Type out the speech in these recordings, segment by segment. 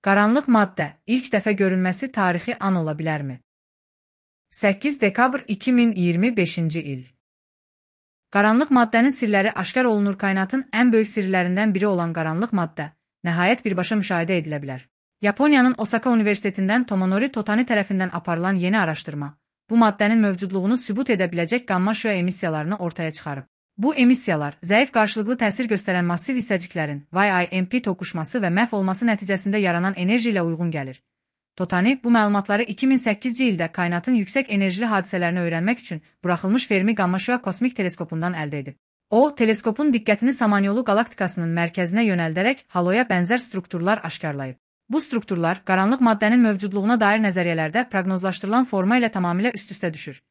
Qaranlıq maddə ilk dəfə görünməsi tarixi an ola bilərmi? 8 dekabr 2025-ci il. Qaranlıq maddənin sirləri aşkar olunur. Kainatın ən böyük sirlərindən biri olan qaranlıq maddə nəhayət birbaşa müşahidə edilə bilər. Yaponiyanın Osaka Universitetindən Tomonori Totani tərəfindən aparılan yeni araşdırma bu maddənin mövcudluğunu sübut edə biləcək qamma şüa emissiyalarını ortaya çıxarıb. Bu emissiyalar zəif qarşılıqlı təsir göstərən massiv hissəciklərin YIMP toqquşması və məhv olması nəticəsində yaranan enerji ilə uyğun gəlir. Totani bu məlumatları 2008-ci ildə kainatın yüksək enerjili hadisələrini öyrənmək üçün buraxılmış Fermi qamma şüa kosmik teleskopundan əldə edib. O, teleskopun diqqətini Samanyolu qalaktikasının mərkəzinə yönəldərək haloya bənzər strukturlar aşkarlayıb. Bu strukturlar qaranlıq maddənin mövcudluğuna dair nəzəriyyələrdə proqnozlaşdırılan forma ilə tamamilə üst-üstə düşür.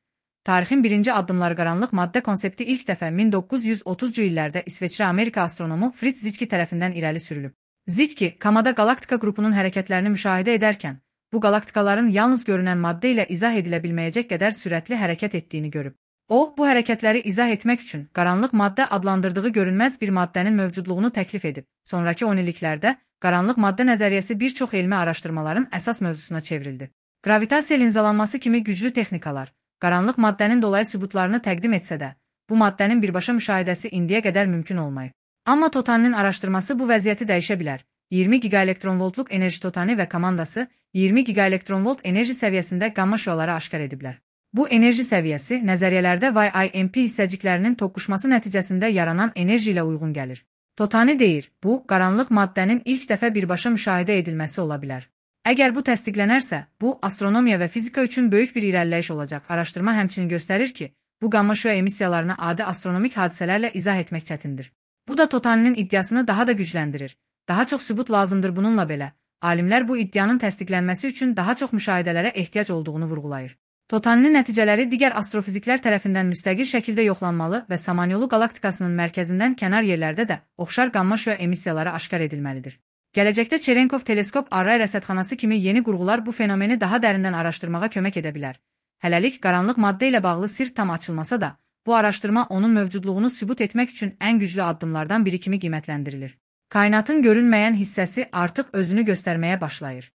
Tarixin birinci addımları qaranlıq maddə konsepti ilk dəfə 1930-cu illərdə İsveçrə-Amerika astronomu Fritz Zitski tərəfindən irəli sürülüb. Zitski, Kamada qalaktika qrupunun hərəkətlərini müşahidə edərkən, bu qalaktikaların yalnız görünən maddə ilə izah edilə bilməyəcək qədər sürətli hərəkət etdiyini görüb. O, bu hərəkətləri izah etmək üçün qaranlıq maddə adlandırdığı görünməz bir maddənin mövcudluğunu təklif edib. Sonrakı 10 illiklərdə qaranlıq maddə nəzəriyyəsi bir çox elmi araşdırmaların əsas mövzusuna çevrildi. Gravitasiya linzalanması kimi güclü texnikalar qaranlıq maddənin dolayı sübutlarını təqdim etsə də, bu maddənin birbaşa müşahidəsi indiyə qədər mümkün olmayıb. Amma Totaninin araşdırması bu vəziyyəti dəyişə bilər. 20 gigaelektronvoltluq enerji Totani və komandası 20 gigaelektronvolt enerji səviyyəsində qamma şüaları aşkar ediblər. Bu enerji səviyyəsi nəzəriyyələrdə YIMP hissəciklərinin toqquşması nəticəsində yaranan enerji ilə uyğun gəlir. Totani deyir, bu, qaranlıq maddənin ilk dəfə birbaşa müşahidə edilməsi ola bilər. Əgər bu təsdiqlənərsə, bu, astronomiya və fizika üçün böyük bir irəliləyiş olacaq. Araşdırma həmçinin göstərir ki, bu qamma şüa emissiyalarını adi astronomik hadisələrlə izah etmək çətindir. Bu da Totaninin iddiasını daha da gücləndirir. Daha çox sübut lazımdır. Bununla belə, alimlər bu iddianın təsdiqlənməsi üçün daha çox müşahidələrə ehtiyac olduğunu vurğulayır. Totaninin nəticələri digər astrofiziklər tərəfindən müstəqil şəkildə yoxlanmalı və Samanyolu qalaktikasının mərkəzindən kənar yerlərdə də oxşar qamma şüa emissiyaları aşkar edilməlidir. Gələcəkdə Cherenkov teleskop array rəsədxanası kimi yeni qurğular bu fenomeni daha dərindən araşdırmağa kömək edə bilər. Hələlik qaranlıq maddə ilə bağlı sir tam açılmasa da, bu araşdırma onun mövcudluğunu sübut etmək üçün ən güclü addımlardan biri kimi qiymətləndirilir. Kainatın görünməyən hissəsi artıq özünü göstərməyə başlayır.